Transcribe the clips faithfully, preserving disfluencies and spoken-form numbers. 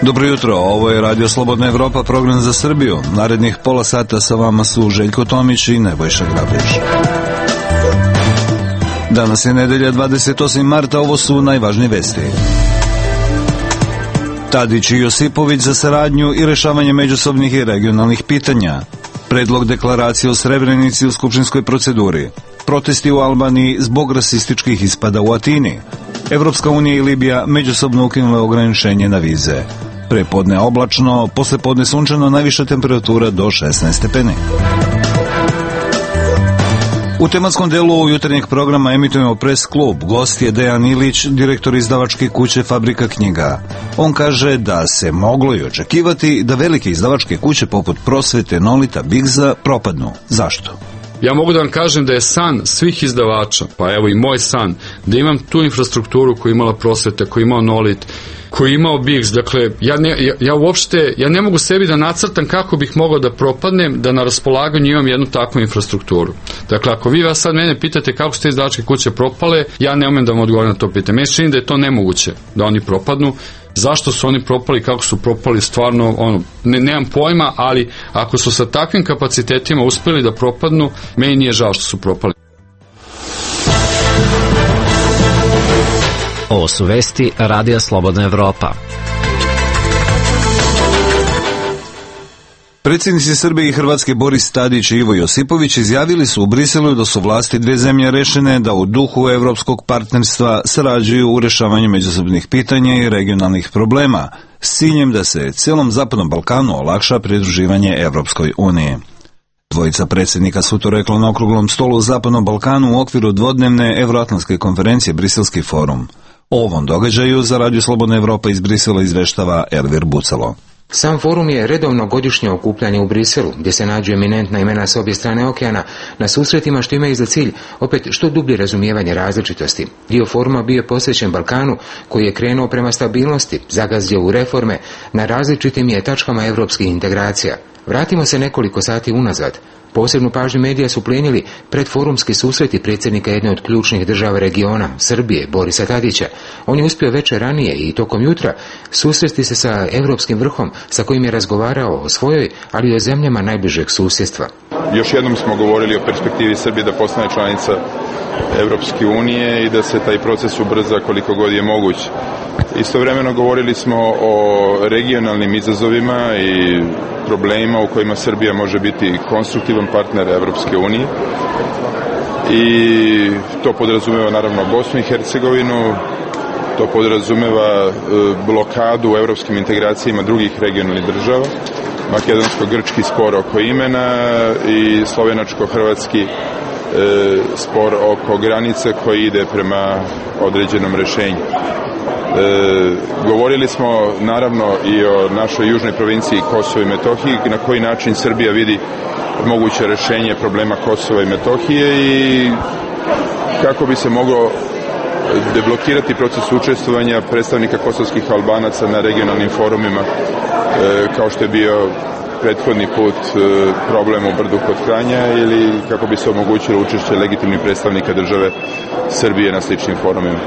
Dobro jutro, ovo je Radio Slobodna Evropa, program za Srbiju. Narednih pola sata sa vama su Željko Tomić i Nebojša Grabriš. Danas je nedelja dvadeset osmog marta, ovo su najvažnije vesti. Tadić i Josipović za saradnju i rešavanje međusobnih i regionalnih pitanja. Predlog deklaracije o Srebrenici u skupštinskoj proceduri. Protesti u Albaniji zbog rasističkih ispada u Atini. Evropska unija i Libija međusobno ukinule ograničenje na vize. Prepodne oblačno, poslepodne sunčano, najviša temperatura do šesnaest stepeni. U tematskom delu jutarnjeg programa emitujemo Press klub. Gost je Dejan Ilić, direktor izdavačke kuće Fabrika knjiga. On kaže da se moglo i očekivati da velike izdavačke kuće poput Prosvete, Nolita, Bigza propadnu. Zašto? Ja mogu da vam kažem da je san svih izdavača, pa evo i moj san, da imam tu infrastrukturu koju imala Prosveta, koju imao Nolit, koji je imao Bigz. Dakle, ja, ne, ja, ja uopšte, ja ne mogu sebi da nacrtam kako bih mogao da propadnem, da na raspolaganju imam jednu takvu infrastrukturu. Dakle, ako vi vas sad mene pitate kako su te izdavačke kuće propale, ja ne umem da vam odgovorim na to pitanje. Meni se čini da je to nemoguće da oni propadnu. Zašto su oni propali, kako su propali, stvarno, ono, ne, nemam pojma, ali ako su sa takvim kapacitetima uspeli da propadnu, meni nije žao što su propali. Ovo su vesti Radija Slobodna Evropa. Predsjednici Srbije i Hrvatske Boris Tadić i Ivo Josipović izjavili su u Briselu da su vlasti dve zemlje rešene da u duhu evropskog partnerstva sarađuju u rešavanju međusobnih pitanja i regionalnih problema s ciljem da se celom Zapadnom Balkanu olakša pridruživanje Evropskoj uniji. Dvojica predsjednika su to rekla na okruglom stolu u Zapadnom Balkanu u okviru dvodnevne Evroatlantske konferencije Briselski forum. O ovom događaju za Radio Slobodna Evropa iz Brisela izveštava Elvir Bucalo. Sam forum je redovno godišnje okupljanje u Briselu, gdje se nađu eminentna imena s obje strane okeana, na susretima što imaju za cilj opet što dublje razumijevanje različitosti. Dio foruma bio je posvećen Balkanu, koji je krenuo prema stabilnosti, zagazio u reforme, na različitim je tačkama evropskih integracija. Vratimo se nekoliko sati unazad. Posebnu pažnju medija su plenili predforumski susreti predsjednika jedne od ključnih država regiona, Srbije, Borisa Tadića. On je uspio večer ranije i tokom jutra susresti se sa evropskim vrhom sa kojim je razgovarao o svojoj, ali i o zemljama najbližeg susjedstva. Još jednom smo govorili o perspektivi Srbije da postane članica Evropske unije i da se taj proces ubrza koliko god je moguć. Istovremeno govorili smo o regionalnim izazovima i problemima u kojima Srbija može biti konstruktivan partner Evropske unije i to podrazumeva naravno Bosnu i Hercegovinu, to podrazumeva blokadu u evropskim integracijama drugih regionalnih država, makedonsko-grčki spor oko imena i slovenačko-hrvatski spor oko granice koji ide prema određenom rešenju. E, govorili smo naravno i o našoj južnoj provinciji Kosovo i Metohiji, na koji način Srbija vidi moguće rešenje problema Kosova i Metohije i kako bi se moglo deblokirati proces učestvovanja predstavnika kosovskih Albanaca na regionalnim forumima, e, kao što je bio prethodni put e, problem u Brdu kod Kranja, ili kako bi se omogućilo učešće legitimnih predstavnika države Srbije na sličnim forumima.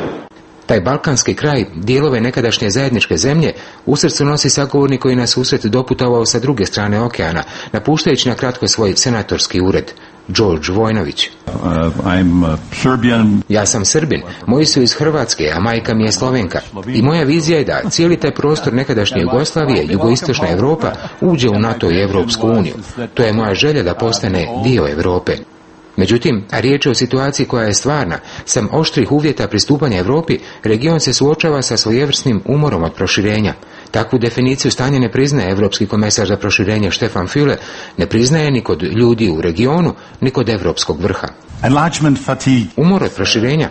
Taj balkanski kraj, dijelove nekadašnje zajedničke zemlje, u srcu nosi sagovornik koji nas susret doputovao sa druge strane okeana, napuštajući na kratko svoj senatorski ured, George Vojnović. Uh, I'm Serbian. Ja sam Srbin, moji su iz Hrvatske, a majka mi je Slovenka. I moja vizija je da cijeli taj prostor nekadašnje Jugoslavije, jugoistočna Evropa, uđe u NATO i Evropsku uniju. To je moja želja da postane dio Europe. Međutim, a riječ je o situaciji koja je stvarna. Sam oštrih uvjeta pristupanja Europi, region se suočava sa svojevrsnim umorom od proširenja. Takvu definiciju stanja ne priznaje Evropski komesar za proširenje Stefan Füle, ne priznaje ni kod ljudi u regionu, ni kod evropskog vrha. Umor od proširenja.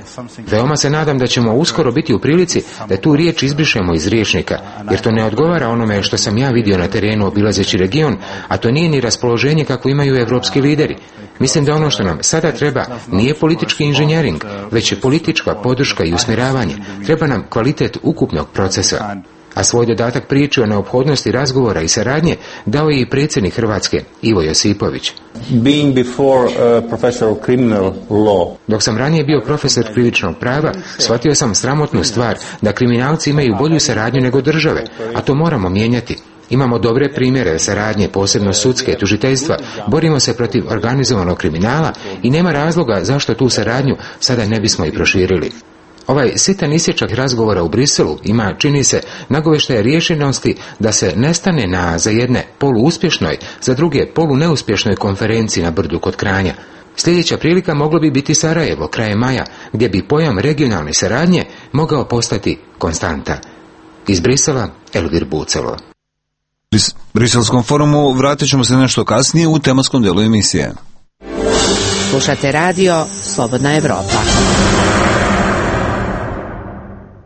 Veoma se nadam da ćemo uskoro biti u prilici da tu riječ izbrišemo iz rječnika, jer to ne odgovara onome što sam ja vidio na terenu obilazeći region, a to nije ni raspoloženje kako imaju evropski lideri. Mislim da ono što nam sada treba nije politički inženjering, već je politička podrška i usmjeravanje. Treba nam kvalitet ukupnog procesa. a svoj dodatak priči o neophodnosti razgovora i saradnje dao je i predsjednik Hrvatske Ivo Josipović. Being before a professor of criminal law. Dok sam ranije bio profesor krivičnog prava, shvatio sam sramotnu stvar da kriminalci imaju bolju saradnju nego države, a to moramo mijenjati. Imamo dobre primjere saradnje, posebno sudske, tužiteljstva, borimo se protiv organizovanog kriminala i nema razloga zašto tu saradnju sada ne bismo i proširili. Ovaj sitan isječak razgovora u Briselu ima, čini se, nagovještaje rješenosti da se ne stane na za jedne poluuspješnoj, za druge poluneuspješnoj konferenciji na Brdu kod Kranja. Sljedeća prilika moglo bi biti Sarajevo, krajem maja, gdje bi pojam regionalne saradnje mogao postati konstanta. Iz Brisela, Elvir Bucelo. Briselskom forumu vratit ćemo se nešto kasnije u tematskom delu emisije. Slušate radio Slobodna Evropa.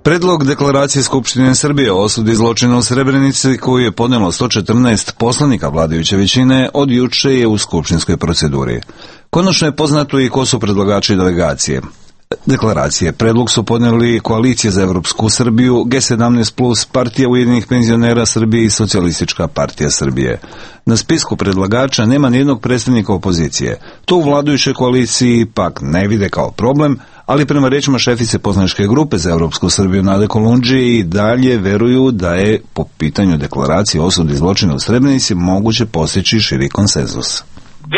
Predlog deklaracije Skupštine Srbije o osudi zločina u Srebrenici, koju je podnijelo sto četrnaest poslanika vladajuće većine, od juče je u skupštinskoj proceduri. Konačno je poznato i ko su predlagači delegacije. Deklaracije predlog su podnijeli Koalicija za Evropsku Srbiju, G sedamnaest plus, Partija Ujedinjenih penzionera Srbije i Socijalistička partija Srbije. Na spisku predlagača nema nijednog predstavnika opozicije. To u vladajućoj koaliciji pak ne vide kao problem, ali prema rečima šefice poslaničke grupe za Evropsku Srbiju Nade Kolundžije i dalje veruju da je po pitanju deklaracije o osudi zločina u Srebrenici moguće postići širi konsenzus.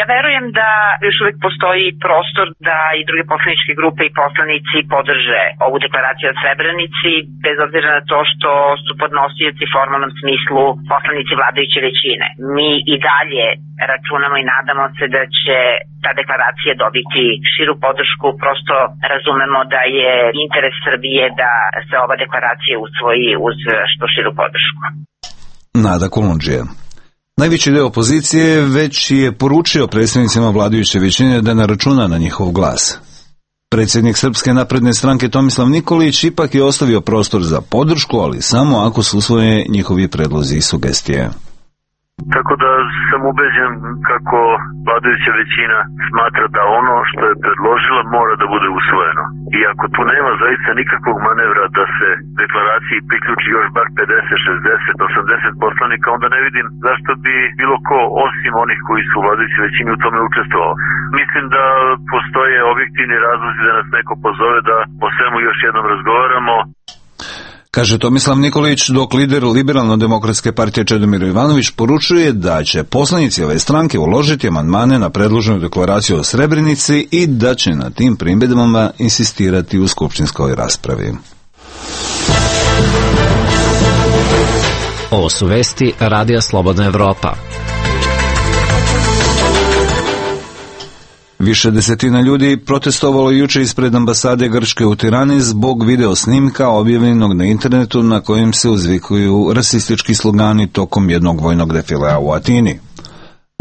Ja verujem da još uvijek postoji prostor da i druge poslaničke grupe i poslanici podrže ovu deklaraciju o Srebrenici, bez obzira na to što su podnosioci u formalnom smislu poslanici vladajuće većine. Mi i dalje računamo i nadamo se da će ta deklaracija dobiti širu podršku, prosto razumemo da je interes Srbije da se ova deklaracija usvoji uz što širu podršku. Nada Kolundžija. Najveći deo opozicije već je poručio predstavnicima vladajuće većine da ne računa na njihov glas. Predsjednik Srpske napredne stranke Tomislav Nikolić ipak je ostavio prostor za podršku, ali samo ako su usvoje njihovi predlozi i sugestije. Tako da sam ubeđen kako vladajuća većina smatra da ono što je predložila mora da bude usvojeno. I ako tu nema zaista nikakvog manevra da se deklaraciji priključi još bar pedeset, šezdeset, osamdeset poslanika, onda ne vidim zašto bi bilo ko osim onih koji su u vladajućoj većini u tome učestvovao. Mislim da postoje objektivni razlozi da nas neko pozove da o svemu još jednom razgovaramo. Kaže Tomislav Nikolić, dok lider Liberalno-demokratske partije Čedomir Jovanović poručuje da će poslanici ove stranke uložiti amandmane na predloženu deklaraciju o Srebrenici i da će na tim primjedbama insistirati u skupštinskoj raspravi. Ovo su vesti Radija Slobodna Evropa. Više desetina ljudi protestovalo juče ispred ambasade Grčke u Tirani zbog video snimka objavljenog na internetu na kojem se uzvikuju rasistički slogani tokom jednog vojnog defilea u Atini.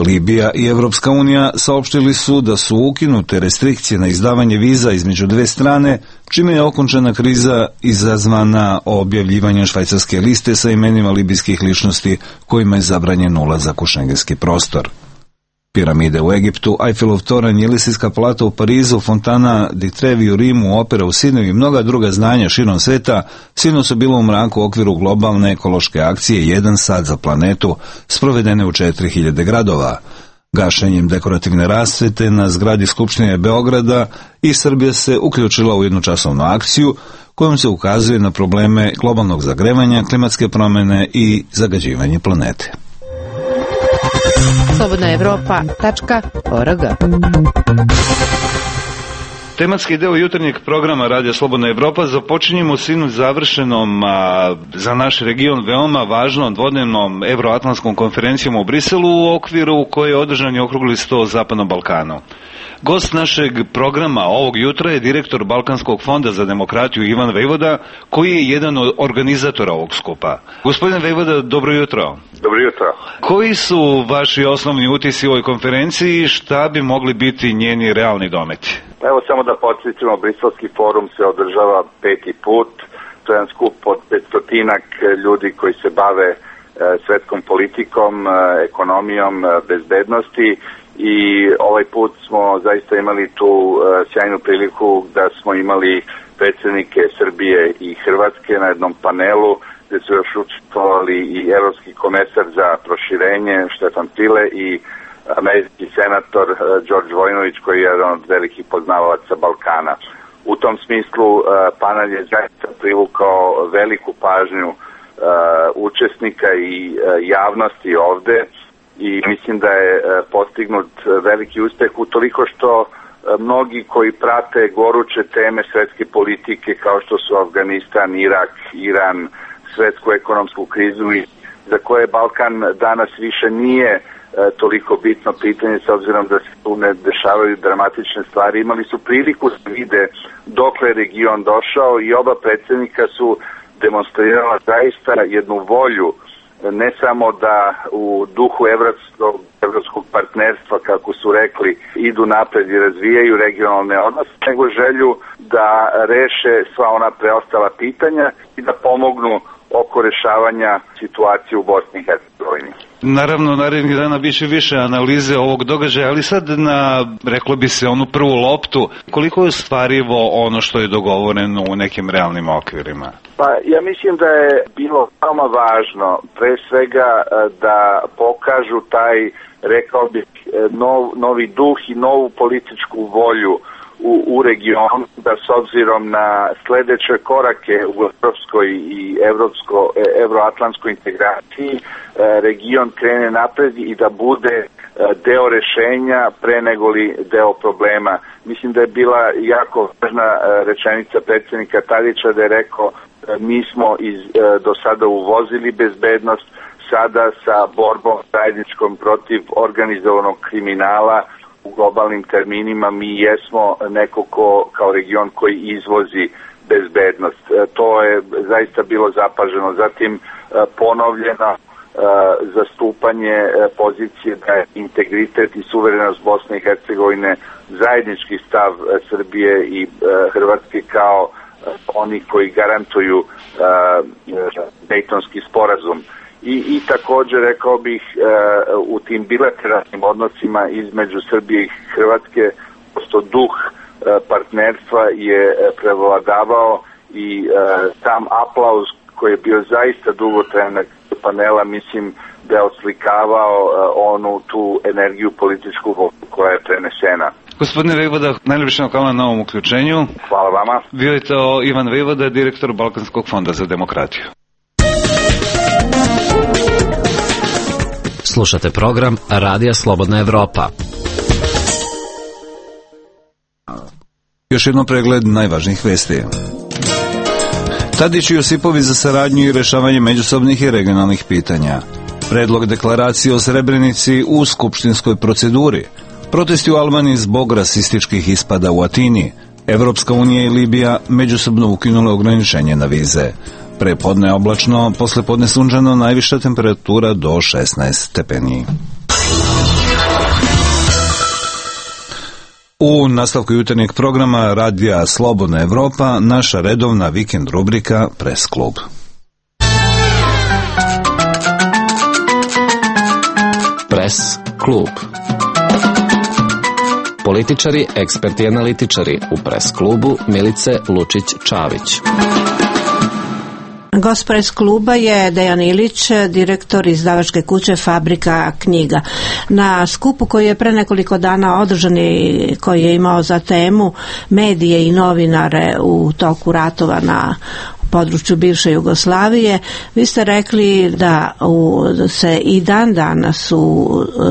Libija i Evropska unija saopštili su da su ukinute restrikcije na izdavanje viza između dve strane, čime je okončana kriza izazvana objavljivanjem švajcarske liste sa imenima libijskih ličnosti kojima je zabranjen ulazak u šengenski prostor. Piramide u Egiptu, Eiffelov toranj, Jelisejska palata u Parizu, Fontana di Trevi u Rimu, opera u Sidneju i mnoga druga zdanja širom sveta sinoć su bilo u mraku u okviru globalne ekološke akcije Jedan sat za planetu, sprovedene u četiri hiljade gradova. Gašenjem dekorativne rasvete na zgradi Skupštine Beograda i Srbija se uključila u jednočasovnu akciju kojom se ukazuje na probleme globalnog zagrevanja, klimatske promjene i zagađivanje planete. slobodna evropa tačka org. Tematski deo jutarnjeg programa Radija Slobodna Evropa započinjemo sinoć završenom a, za naš region veoma važnom dvodnevnom Evroatlantskom konferencijom u Briselu u okviru koje je održan je okrugli sto o Zapadnom Balkanu. Gost našeg programa ovog jutra je direktor Balkanskog fonda za demokratiju Ivan Vejvoda, koji je jedan od organizatora ovog skupa. Gospodine Vejvoda, dobro jutro. Dobro jutro. Koji su vaši osnovni utisci u ovoj konferenciji i šta bi mogli biti njeni realni dometi? Evo samo da podsjetimo, Briselski forum se održava peti put. To je jedan skup od petstotinak ljudi koji se bave e, svetskom politikom, e, ekonomijom, e, bezbednosti. I ovaj put smo zaista imali tu uh, sjajnu priliku da smo imali predsjednike Srbije i Hrvatske na jednom panelu gde su još učestvovali i evropski komesar za proširenje Štefan File i američki senator Đorđe Vojinović, koji je jedan od velikih poznavalaca Balkana. U tom smislu panel je zaista privukao veliku pažnju učesnika i javnosti ovde i mislim da je postignut veliki uspeh utoliko što mnogi koji prate goruće teme svetske politike kao što su Afganistan, Irak, Iran, svetsku ekonomsku krizu i za koje Balkan danas više nije toliko bitno pitanje s obzirom da se tu ne dešavaju dramatične stvari. Imali su priliku da vide dokle je region došao i oba predsjednika su demonstrirala zaista jednu volju ne samo da u duhu evropskog, evropskog partnerstva, kako su rekli, idu napred i razvijaju regionalne odnose, nego želju da reše sva ona preostala pitanja i da pomognu oko rešavanja situacije u Bosni i Hercegovini. Naravno, narednih dana biće više analize ovog događaja, ali sad na, reklo bi se, onu prvu loptu, koliko je ostvarivo ono što je dogovoreno u nekim realnim okvirima? Pa ja mislim da je bilo veoma važno pre svega da pokažu taj, rekao bih, nov, novi duh i novu političku volju u, u regionu, da s obzirom na sledeće korake u evropskoj i evropsko, evroatlantskoj integraciji region krene napred i da bude deo rešenja pre negoli deo problema. Mislim da je bila jako važna rečenica predsjednika Tadića da je rekao mi smo iz, do sada uvozili bezbednost, sada sa borbom zajedničkom protiv organizovanog kriminala u globalnim terminima mi jesmo neko ko, kao region koji izvozi bezbednost. To je zaista bilo zapaženo. Zatim ponovljeno zastupanje pozicije da je integritet i suverenost Bosne i Hercegovine zajednički stav Srbije i Hrvatske kao oni koji garantuju uh, Dejtonski sporazum. I, i također rekao bih uh, u tim bilateralnim odnosima između Srbije i Hrvatske posto duh uh, partnerstva je prevladavao i uh, sam aplauz koji je bio zaista dugotrajan panela, mislim da je oslikavao uh, onu tu energiju političku koja je prenesena. Gospodine Vejvoda, najljepše hvala na ovom uključenju. Hvala vama. Bio je to Ivan Vejvoda, direktor Balkanskog fonda za demokratiju. Slušate program Radija Slobodna Evropa. Još jedno pregled najvažnijih vesti. Tadić i Josipović za saradnju i rešavanje međusobnih i regionalnih pitanja. Predlog deklaracije o Srebrenici u skupštinskoj proceduri. Protesti u Albaniji zbog rasističkih ispada u Atini. Evropska unija i Libija međusobno ukinule ograničenje na vize. Prepodne oblačno, poslepodne sunčano, najviša temperatura do šesnaest stepeni. U nastavku jutarnjeg programa Radija Slobodna Evropa, naša redovna vikend rubrika Press klub. Press klub. Političari, eksperti i analitičari u Press klubu Milice Lučić-Čavić. Gost Press kluba je Dejan Ilić, direktor izdavačke kuće Fabrika knjiga. Na skupu koji je pre nekoliko dana održan i koji je imao za temu medije i novinare u toku ratova na području bivše Jugoslavije, vi ste rekli da u, se i dan danas u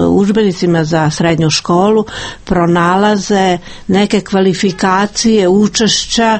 udžbenicima za srednju školu pronalaze neke kvalifikacije učešća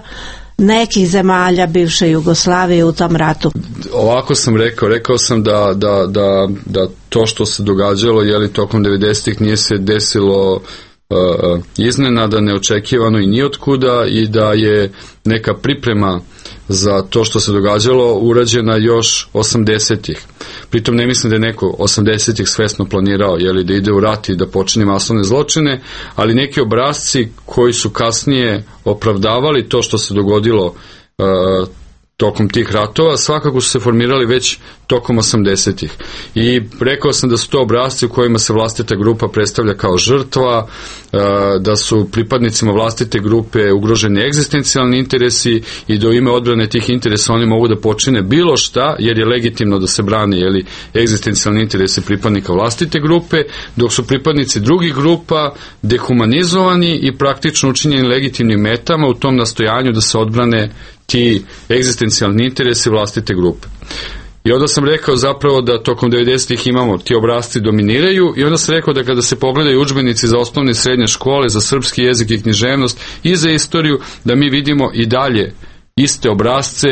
nekih zemalja bivše Jugoslavije u tom ratu. Ovako sam rekao, rekao sam da, da, da, da to što se događalo je li tokom devedesetih nije se desilo uh, iznenada, neočekivano i nijotkuda i da je neka priprema za to što se događalo urađena još osamdesetih. Pritom ne mislim da je neko osamdesetih svesno planirao jeli, da ide u rat i da počini masovne zločine, ali neki obrasci koji su kasnije opravdavali to što se dogodilo uh, tokom tih ratova, svakako su se formirali već tokom osamdesetih. I rekao sam da su to obrasci u kojima se vlastita grupa predstavlja kao žrtva, da su pripadnicima vlastite grupe ugroženi egzistencijalni interesi i da u ime odbrane tih interesa oni mogu da počine bilo šta, jer je legitimno da se brani jeli, egzistencijalni interesi pripadnika vlastite grupe, dok su pripadnici drugih grupa dehumanizovani i praktično učinjeni legitimnim metama u tom nastojanju da se odbrane ti egzistencijalni interesi vlastite grupe. I onda sam rekao zapravo da tokom devedesetih imamo ti obrasci dominiraju i onda sam rekao da kada se pogledaju udžbenici za osnovne i srednje škole, za srpski jezik i književnost i za istoriju, da mi vidimo i dalje iste obrasce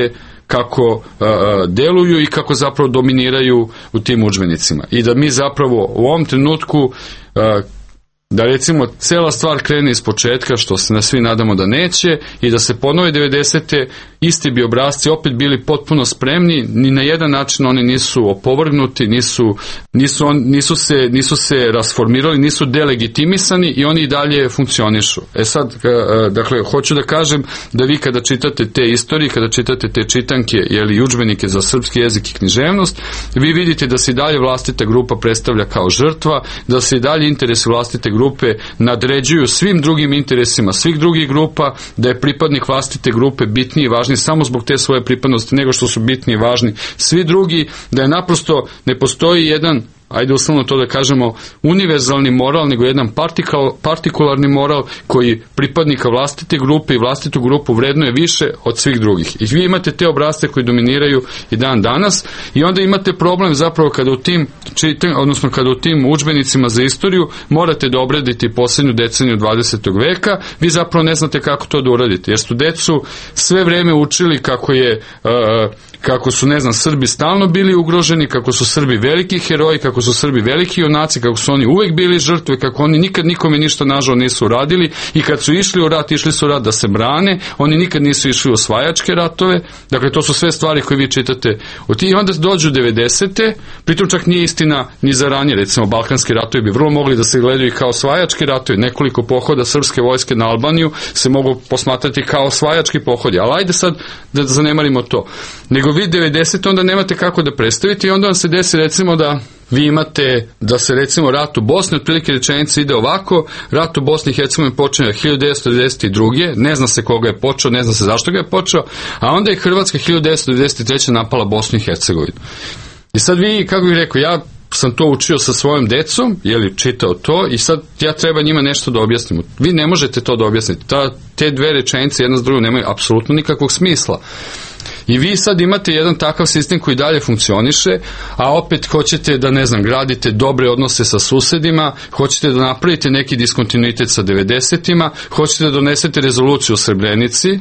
kako a, a, deluju i kako zapravo dominiraju u tim udžbenicima. I da mi zapravo u ovom trenutku a, da recimo cela stvar krene iz početka, što se na svi nadamo da neće, i da se ponove devedesete isti bi obrasci opet bili potpuno spremni, ni na jedan način oni nisu opovrgnuti, nisu, nisu, on, nisu, se, nisu se rasformirali, nisu delegitimisani i oni i dalje funkcionišu. E sad, dakle, hoću da kažem da vi kada čitate te istorije, kada čitate te čitanke ili udžbenike za srpski jezik i književnost, vi vidite da se i dalje vlastita grupa predstavlja kao žrtva, da se i dalje interesi vlastite grupe nadređuju svim drugim interesima svih drugih grupa, da je pripadnik vlastite grupe bitniji i važniji samo zbog te svoje pripadnosti nego što su bitni i važni svi drugi, da je naprosto ne postoji jedan, ajde uslovno to da kažemo, univerzalni moral, nego jedan partikal, partikularni moral koji pripadnika vlastite grupe i vlastitu grupu vrednuje više od svih drugih. I vi imate te obrasce koji dominiraju i dan danas i onda imate problem zapravo kada u tim čitam, odnosno kada u tim udžbenicima za istoriju morate da obradite poslednju deceniju dvadesetog veka, vi zapravo ne znate kako to da uradite, jer su decu sve vreme učili kako je uh, kako su, ne znam, Srbi stalno bili ugroženi, kako su Srbi veliki heroji, kako su Srbi veliki junaci, kako su oni uvek bili žrtve, kako oni nikad nikome ništa nažao nisu uradili i kad su išli u rat, išli su u rat da se brane, oni nikad nisu išli u osvajačke ratove, dakle to su sve stvari koje vi čitate i onda dođu devedesete, pritom čak nije istina ni za ranije, recimo Balkanski ratovi bi vrlo mogli da se gledaju kao osvajački ratovi, nekoliko pohoda srpske vojske na Albaniju se mogu posmatrati kao osvajački pohodi, ali ajde sad da zanemarimo to, nego vi devedesete onda nemate kako da predstavite i onda vam se desi recimo da vi imate da se recimo rat u Bosni, otprilike rečenica ide ovako, rat u Bosni i Hercegovini počeo hiljadu devetsto devedeset druge. ne zna se koga je počeo, ne zna se zašto ga je počeo, a onda je Hrvatska hiljadu devetsto devedeset treće napala Bosnu i Hercegovinu. I sad vi, kako bih rekao, ja sam to učio sa svojom decom, jeli čitao to i sad ja treba njima nešto da objasnim. Vi ne možete to da objasnite. Ta, te dve rečenice jedna s drugom nemaju apsolutno nikakvog smisla. I vi sad imate jedan takav sistem koji dalje funkcioniše, a opet hoćete da, ne znam, gradite dobre odnose sa susedima, hoćete da napravite neki diskontinuitet sa devedesetima, hoćete da donesete rezoluciju o Srebrenici.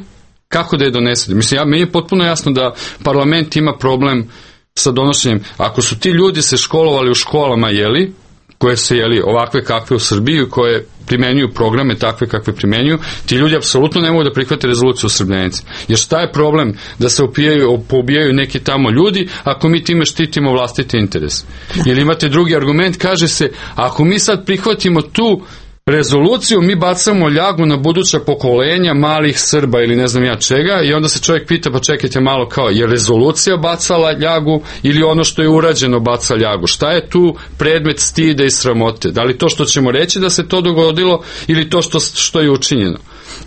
Kako da je donesete? Mislim, ja, meni je potpuno jasno da parlament ima problem sa donošenjem. Ako su ti ljudi se školovali u školama, jeli, koje se, jeli, ovakve kakve u Srbiji, koje primenjuju programe takve kakve primenjuju, ti ljudi apsolutno ne mogu da prihvate rezoluciju o Srebrenici. Jer šta je problem da se opijaju, poubijaju neki tamo ljudi ako mi time štitimo vlastite interese? Ili imate drugi argument, kaže se, ako mi sad prihvatimo tu rezoluciju, mi bacamo ljagu na buduća pokolenja malih Srba ili ne znam ja čega i onda se čovjek pita, pa čekajte malo, kao, je rezolucija bacala ljagu ili ono što je urađeno baca ljagu? Šta je tu predmet stida i sramote? Da li to što ćemo reći da se to dogodilo ili to što, što je učinjeno?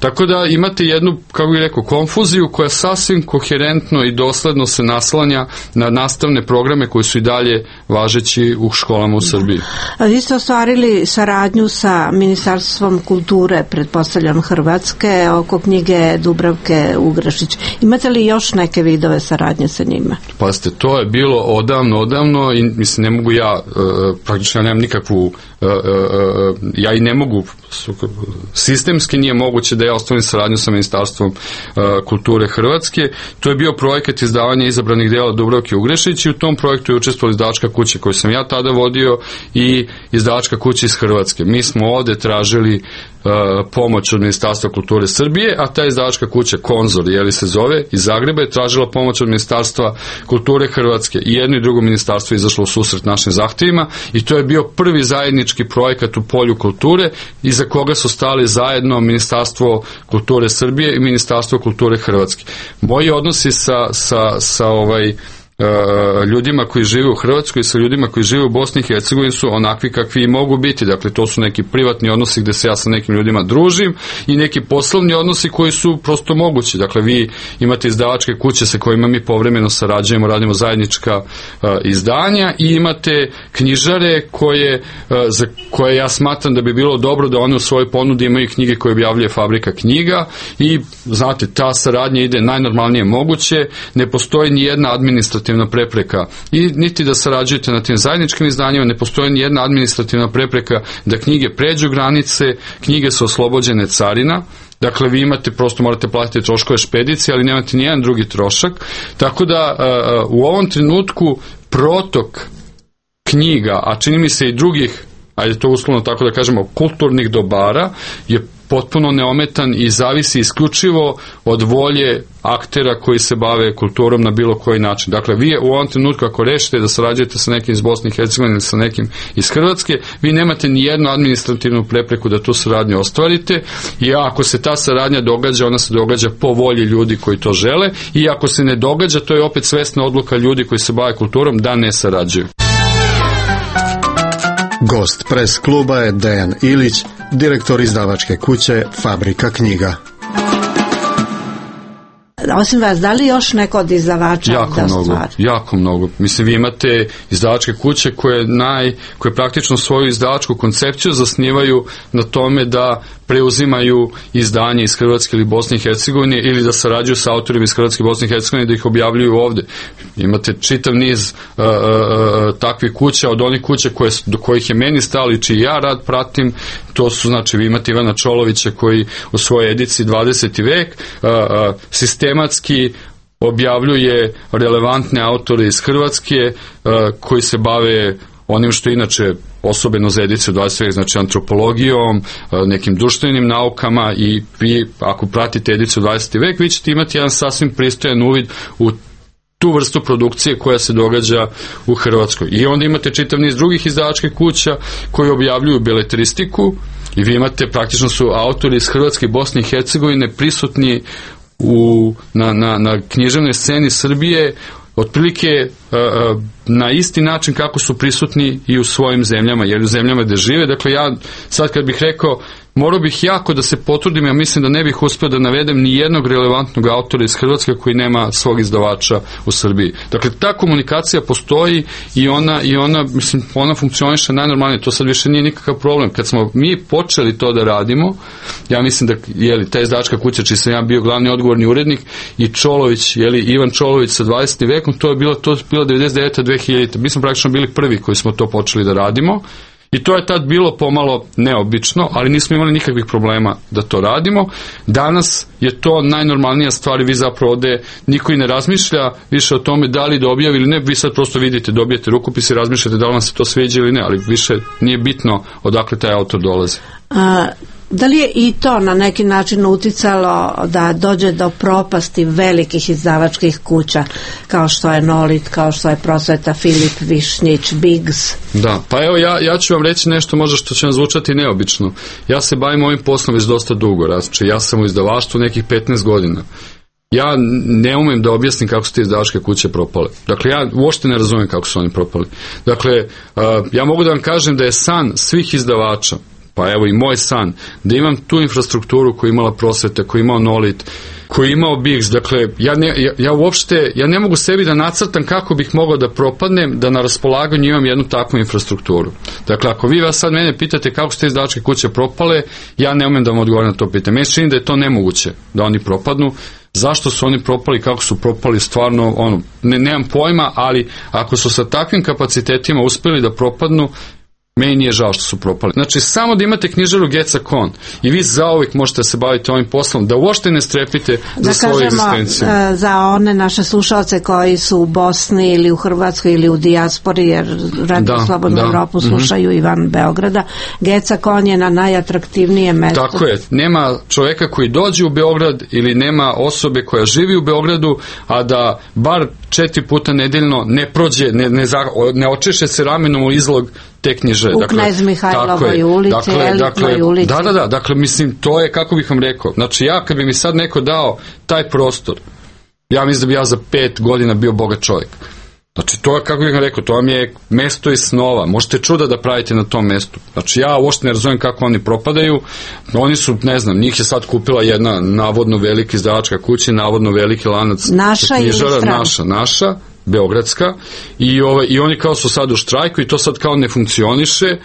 Tako da imate jednu, kako bih rekao, konfuziju koja sasvim koherentno i dosledno se naslanja na nastavne programe koji su i dalje važeći u školama u Srbiji. A vi ste ostvarili saradnju sa Ministarstvom kulture, pretpostavljam Hrvatske, oko knjige Dubravke Ugrašić. Imate li još neke vidove saradnje sa njima? Pazite, to je bilo odavno, odavno i mislim, ne mogu ja, praktično ja nemam nikakvu, ja i ne mogu, sistemski nije moguće da ja ostavim saradnju sa Ministarstvom kulture Hrvatske. To je bio projekat izdavanja izabranih dela Dubravke Ugrešić i u tom projektu je učestvovala izdavačka kuća koju sam ja tada vodio i izdavačka kuća iz Hrvatske. Mi smo ovde tražili uh, pomoć od Ministarstva kulture Srbije, a ta izdavačka kuća Konzor, jeli se zove, iz Zagreba je tražila pomoć od Ministarstva kulture Hrvatske i jedno i drugo ministarstvo je izašlo u susret našim zahtjevima i to je bio prvi zajednički projekat u polju kulture iza koga su stali zajedno Ministarstvo kulture Srbije i Ministarstvo kulture Hrvatske. Moji odnosi sa, sa, sa ovaj ljudima koji žive u Hrvatskoj i sa ljudima koji žive u Bosni i Hercegovini su onakvi kakvi i mogu biti. Dakle, to su neki privatni odnosi gde se ja sa nekim ljudima družim i neki poslovni odnosi koji su prosto mogući. Dakle, vi imate izdavačke kuće sa kojima mi povremeno sarađujemo, radimo zajednička uh, izdanja i imate knjižare koje, uh, za koje ja smatram da bi bilo dobro da one u svojoj ponudi imaju knjige koje objavljuje Fabrika knjiga i, znate, ta saradnja ide najnormalnije moguće, ne postoji ni jedna administrativna prepreka i niti da sarađujete na tim zajedničkim izdanjima, ne postoji ni jedna administrativna prepreka da knjige pređu granice, knjige su oslobođene carina. Dakle, vi imate, prosto morate platiti troškove špedicije, ali nemate ni jedan drugi trošak. Tako da uh, u ovom trenutku protok knjiga, a čini mi se i drugih, ajde to uslovno tako da kažemo, kulturnih dobara, je potpuno neometan i zavisi isključivo od volje aktera koji se bave kulturom na bilo koji način. Dakle, vi u ovom trenutku ako rešite da sarađujete sa nekim iz Bosne i Hercegovine ili sa nekim iz Hrvatske, vi nemate ni jednu administrativnu prepreku da tu saradnju ostvarite i ako se ta saradnja događa, ona se događa po volji ljudi koji to žele i ako se ne događa, to je opet svesna odluka ljudi koji se bave kulturom da ne sarađuju. Gost pres kluba je Dejan Ilić, direktor izdavačke kuće Fabrika knjiga. Osim vas, da li još neko od izdavača jako da mnogo, stvari? jako mnogo. Mislim, vi imate izdavačke kuće koje, naj, koje praktično svoju izdavačku koncepciju zasnivaju na tome da preuzimaju izdanje iz Hrvatske ili Bosne i Hercegovine ili da sarađuju sa autorima iz Hrvatske i Bosne i Hercegovine da ih objavljuju ovde. Imate čitav niz uh, uh, takvih kuća, od onih kuća koje, do kojih je meni stalo i čiji ja rad pratim, to su, znači, vi imate Ivana Čolovića koji u svojoj ediciji dvadeseti vek uh, uh, sistematski objavljuje relevantne autore iz Hrvatske uh, koji se bave onim što inače osobeno za ediciju dvadeseti vek, znači antropologijom, nekim društvenim naukama i vi ako pratite ediciju dvadeseti vek, vi ćete imati jedan sasvim pristojan uvid u tu vrstu produkcije koja se događa u Hrvatskoj. I onda imate čitav niz drugih izdavačkih kuća koji objavljuju beletristiku i vi imate, praktično su autori iz Hrvatske i Bosne i Hercegovine prisutni u, na, na, na književnoj sceni Srbije otprilike uh, na isti način kako su prisutni i u svojim zemljama, jer u zemljama gde žive. Dakle, ja sad kad bih rekao, morao bih jako da se potrudim, ja mislim da ne bih uspio da navedem ni jednog relevantnog autora iz Hrvatske koji nema svog izdavača u Srbiji. Dakle, ta komunikacija postoji i ona, i ona, mislim, ona funkcioniše najnormalnije, to sad više nije nikakav problem. Kad smo mi počeli to da radimo, ja mislim da, jeli, ta izdavačka kuća, čiji sam ja bio glavni odgovorni urednik, i Čolović, jeli, Ivan Čolović sa dvadesetim vekom, to je bilo, to je bilo devedeset devete dve hiljadite. Mi smo praktično bili prvi koji smo to počeli da radimo. I to je tad bilo pomalo neobično, ali nismo imali nikakvih problema da to radimo. Danas je to najnormalnija stvar i vi zapravo ovde niko i ne razmišlja više o tome da li da objavi ili ne. Vi sad prosto vidite, dobijete rukopis i razmišljate da li vam se to sviđa ili ne, ali više nije bitno odakle taj autor dolazi. A, da li je i to na neki način uticalo da dođe do propasti velikih izdavačkih kuća kao što je Nolit, kao što je Prosveta, Filip, Višnjić, Biggs? Da, pa evo ja, ja ću vam reći nešto možda što će vam zvučati neobično. Ja se bavim ovim poslom već dosta dugo, znači ja sam u izdavaštvu nekih petnaest godina. Ja ne umem da objasnim kako su te izdavačke kuće propale. Dakle, ja uopšte ne razumijem kako su oni propali. Dakle, uh, ja mogu da vam kažem da je san svih izdavača, pa evo i moj san, da imam tu infrastrukturu koju imala Prosveta, koju imao Nolit, koji je imao Biggs. Dakle, ja, ne, ja, ja uopšte, ja ne mogu sebi da nacrtam kako bih mogao da propadnem da na raspolaganju imam jednu takvu infrastrukturu. Dakle, ako vi vas sad mene pitate kako su te izdavačke kuće propale, ja ne umem da vam odgovorim na to pitanje. Meni se čini da je to nemoguće da oni propadnu. Zašto su oni propali, kako su propali, stvarno, ono, ne, nemam pojma, ali ako su sa takvim kapacitetima uspeli da propadnu, Meni nije žao što su propali. Znači, samo da imate knjižaru Geca Kon i vi zauvijek možete se baviti ovim poslom, da uopšte ne strepite za da svoju egzistenciju. Da kažemo za one naše slušalce koji su u Bosni ili u Hrvatskoj ili u dijaspori, jer Radio da, Slobodnu da. Evropu slušaju mm-hmm. i van Beograda, Geca Kon je na najatraktivnijem mestu. Tako je. Nema čoveka koji dođe u Beograd ili nema osobe koja živi u Beogradu, a da bar četiri puta nedeljno ne prođe, ne, ne, ne očeše se ramenom u izlog te knjižare. U dakle, Knez Mihajlovoj ulici, dakle, Elitnoj dakle, ulici. Da, da, da, dakle, mislim, to je, kako bih vam rekao, znači ja, kad bi mi sad neko dao taj prostor, ja mislim da bi ja za pet godina bio bogat čovjek. Znači, to je, kako bih vam rekao, to vam je mesto iz snova. Možete čuda da pravite na tom mestu. Znači, ja uopšte ne razumijem kako oni propadaju. Oni su, ne znam, njih je sad kupila jedna navodno velika izdavačka kuća, navodno veliki lanac naša knjižara, ili strana? Naša, naša, beogradska. I, ove, I oni kao su sad u štrajku i to sad kao ne funkcioniše.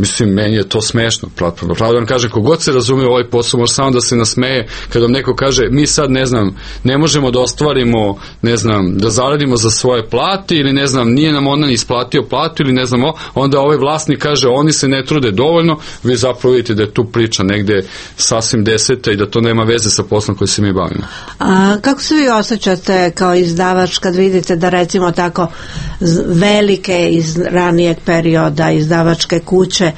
Mislim, meni je to smešno. Pravo da vam kažem, kogod se razume u ovaj posao, može samo da se nasmeje kada vam neko kaže, mi sad, ne znam, ne možemo da ostvarimo, ne znam, da zaradimo za svoje plate ili, ne znam, nije nam ona isplatio platu ili ne znam, onda ovaj vlasnik kaže, oni se ne trude dovoljno, vi zapravo vidite da je tu priča negde sasvim deseta i da to nema veze sa poslom koji se mi bavimo. A kako se vi osjećate kao izdavač kad vidite da recimo tako velike iz ranijeg perioda izdavačke kuće,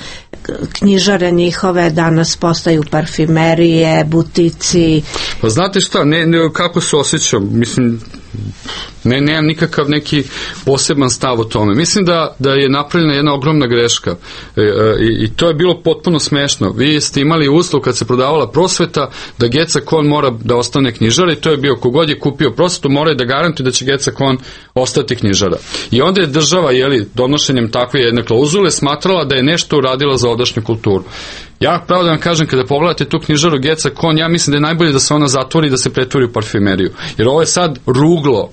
knjižare njihove danas postaju parfimerije, butici? Pa znate šta, ne, ne, kako se osjećam, mislim, ne, nemam nikakav neki poseban stav o tome. Mislim da, da je napravljena jedna ogromna greška e, e, i to je bilo potpuno smešno. Vi ste imali uslov kad se prodavala prosveta da Geca Kon mora da ostane knjižara i to je bio, kogod je kupio prosvetu mora je da garantuje da će Geca Kon ostati knjižara. I onda je država, jeli, donošenjem takve jedne klauzule smatrala da je nešto uradila za ovdašnju kulturu. Ja pravo da vam kažem, kada pogledate tu knjižaru Geca Kon, ja mislim da je najbolje da se ona zatvori i da se pretvori u parfimeriju. Jer ovo je sad ruglo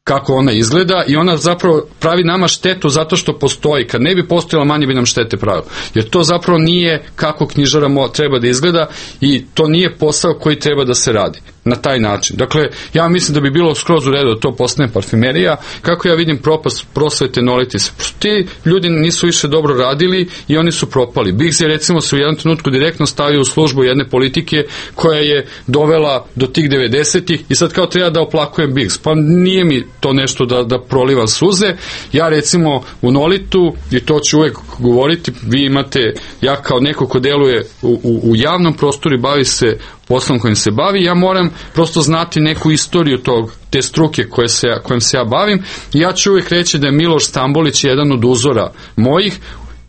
kako ona izgleda i ona zapravo pravi nama štetu zato što postoji. Kad ne bi postojala, manje bi nam štete pravila. Jer to zapravo nije kako knjižara treba da izgleda i to nije posao koji treba da se radi na taj način. Dakle, ja mislim da bi bilo skroz u redu da to postane parfimerija. Kako ja vidim propast prosvete Nolitis, ti ljudi nisu više dobro radili i oni su propali. Biggs je recimo se u jednom trenutku direktno stavio u službu jedne politike koja je dovela do tih devedesetih i sad kao treba da oplakujem Biggs. Pa nije mi to nešto da, da prolivam suze. Ja recimo u Nolitu, i to ću uvek govoriti, vi imate, ja kao neko ko deluje u, u, u javnom prostoru i bavi se poslom kojim se bavi, ja moram prosto znati neku istoriju tog, te struke koje se, kojim se ja bavim i ja ću uvijek reći da je Miloš Stambolić jedan od uzora mojih,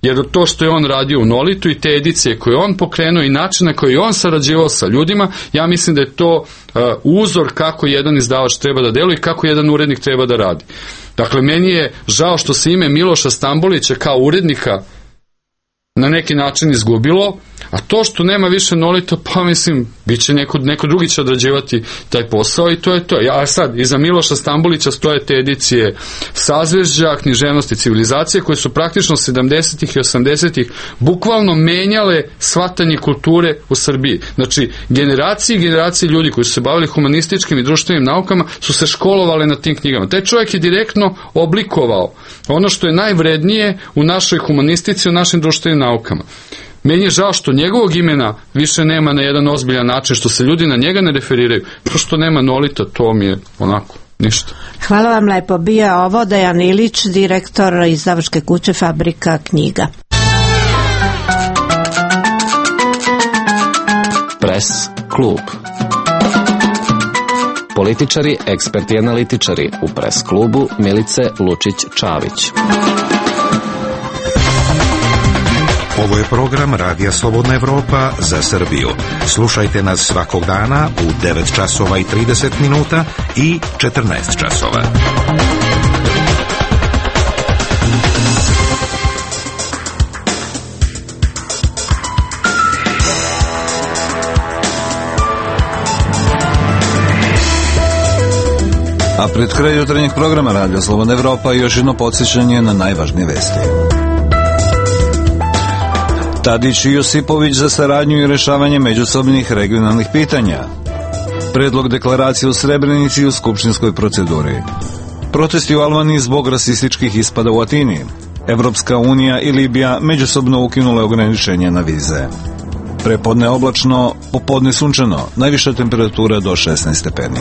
jer to što je on radio u Nolitu i te edicije koje on pokrenuo i način na koji je on sarađivao sa ljudima, ja mislim da je to uh, uzor kako jedan izdavač treba da deluje i kako jedan urednik treba da radi. Dakle, meni je žao što se ime Miloša Stambolića kao urednika na neki način izgubilo, a to što nema više Nolita, pa mislim, bit će neko, neko drugi će odrađivati taj posao i to je to. Ja sad, iza Miloša Stambolića stoje te edicije Sazvežđa, Književnost i civilizacije, koje su praktično sedamdesetih i osamdesetih bukvalno menjale shvatanje kulture u Srbiji. Znači, generacije i generacije ljudi koji su se bavili humanističkim i društvenim naukama su se školovali na tim knjigama. Taj čovjek je direktno oblikovao ono što je najvrednije u našoj humanistici, u našim društvenim naukama. Meni je žao što njegovog imena više nema na jedan ozbiljan način, što se ljudi na njega ne referiraju. To što nema Nolita, to mi je onako ništa. Hvala vam lepo. Bio je ovo Dejan Ilić, direktor izdavačke kuće Fabrika knjiga. Pres klub. Političari, eksperti i analitičari u Pres klubu Milice Lučić-Čavić. Ovo je program Radija Slobodna Evropa za Srbiju. Slušajte nas svakog dana u devet časova i trideset minuta i četrnaest časova. A pred kraj jutarnjeg programa Radija Slobodna Evropa još jedno podsjećanje na najvažnije vesti. Tadić i Josipović za saradnju i rešavanje međusobnih regionalnih pitanja. Predlog deklaracije u Srebrenici u skupštinskoj proceduri. Protesti u Albaniji zbog rasističkih ispada u Atini. Evropska unija i Libija međusobno ukinule ograničenje na vize. Prepodne oblačno, popodne sunčano, najviša temperatura do šesnaest stepeni.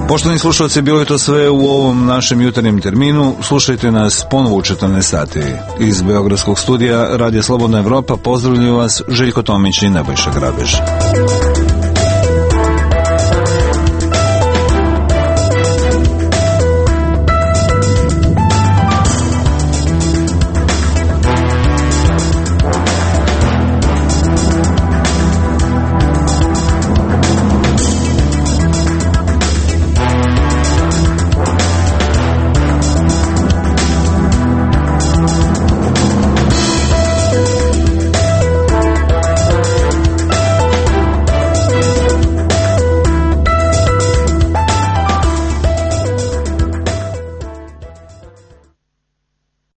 Poštovani slušalci, bilo je to sve u ovom našem jutarnjem terminu. Slušajte nas ponovo u četrnaest sati. Iz Beogradskog studija Radija Slobodna Evropa pozdravljaju vas Željko Tomić i Nebojša Grabež.